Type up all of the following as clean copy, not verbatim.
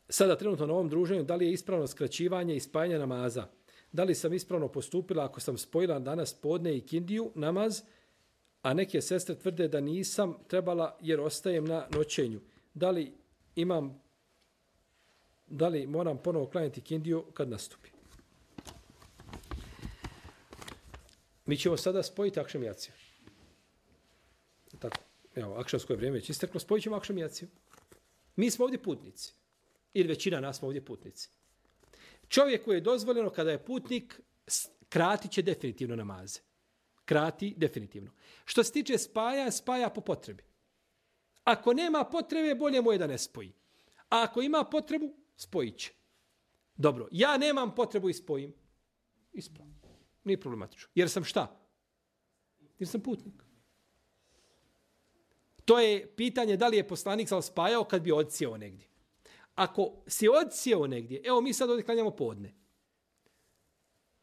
sada trenutno na ovom druženju, da li je ispravno skraćivanje i spajanje namaza? Da li sam ispravno postupila ako sam spojila danas podne i kindiju namaz, a neke sestre tvrde da nisam trebala jer ostajem na noćenju. Da li moram ponovo klanjati kindiju kad nastupi? Mi ćemo sada spojiti akšam i jaciju. Tako, evo, akšamsko je vrijeme već isteklo, spojit ćemo akšam i jaciju. Mi smo ovdje putnici. Ili većina nas smo ovdje putnici. Čovjeku je dozvoljeno kada je putnik, krati će definitivno namaze. Krati definitivno. Što se tiče spaja po potrebi. Ako nema potrebe, bolje mu je da ne spoji. A ako ima potrebu, spojit će. Dobro, ja nemam potrebu i spojim. Ispravno. Nije problematično. Jer sam šta? Jer sam putnik. To je pitanje da li je poslanik spajao kad bi odsjeo negdje. Ako si odsjeo negdje, evo mi sad ovdje klanjamo podne.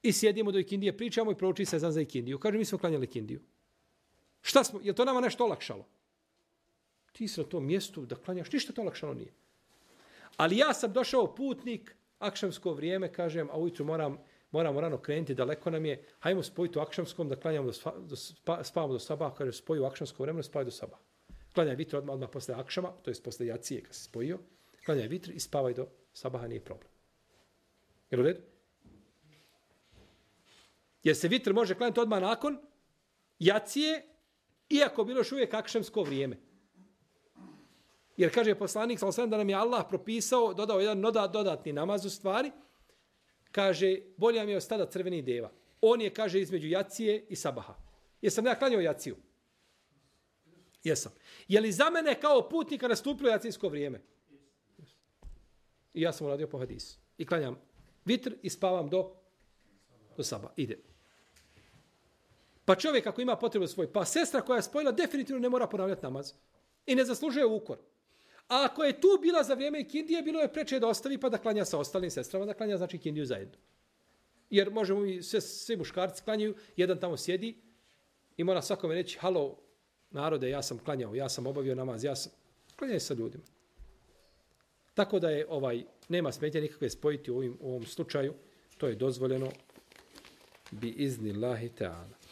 I sjedimo do ikindije, pričamo i prouči se za ikindiju. Kaže, mi smo klanjali ikindiju. Šta smo? Je to nama nešto olakšalo? Ti si na tom mjestu da klanjaš, ništa to olakšalo nije. Ali ja sam došao putnik, akšamsko vrijeme, kažem, a ujutru moramo rano krenuti, daleko nam je, hajmo spojiti u akšamskom da klanjamo spavamo do sabaha, kaže, spoji u akšamsko vremena, spavaj do sabaha. Klanjaj vitr odmah posle akšama, to je posle jacije kad se spojio, klanjaj vitr i spavaj do sabaha, nije problem. Jel u redu? Jer se vitr može klanjati odmah nakon jacije, iako bilo još uvijek akšamsko vrijeme. Jer kaže poslanik da nam je Allah propisao, dodao jedan dodatni namaz u stvari, kaže, bolje mi je od stada crvenih deva. On je, kaže, između jacije i sabaha. Jesam ja klanjao jaciju? Jesam. Je li za mene kao putnika nastupilo jacijsko vrijeme? I ja sam uradio po hadisu. I klanjam vitr i spavam do sabaha. Ide. Pa čovjek ako ima potrebu svoj, pa sestra koja je spojila definitivno ne mora ponavljati namaz. I ne zaslužuje ukor. A ako je tu bila za vrijeme ikindije, bilo je preče da ostavi pa da klanja sa ostalim sestrama, da klanja znači ikindiju zajedno. Jer možemo i svi muškarci klanjaju, jedan tamo sjedi i mora svakome reći, halo narode, ja sam klanjao, ja sam obavio namaz, klanjaj sa ljudima. Tako da je nema smetnje nikakve spojiti u ovom slučaju, to je dozvoljeno bi izni Allahi ta'ala.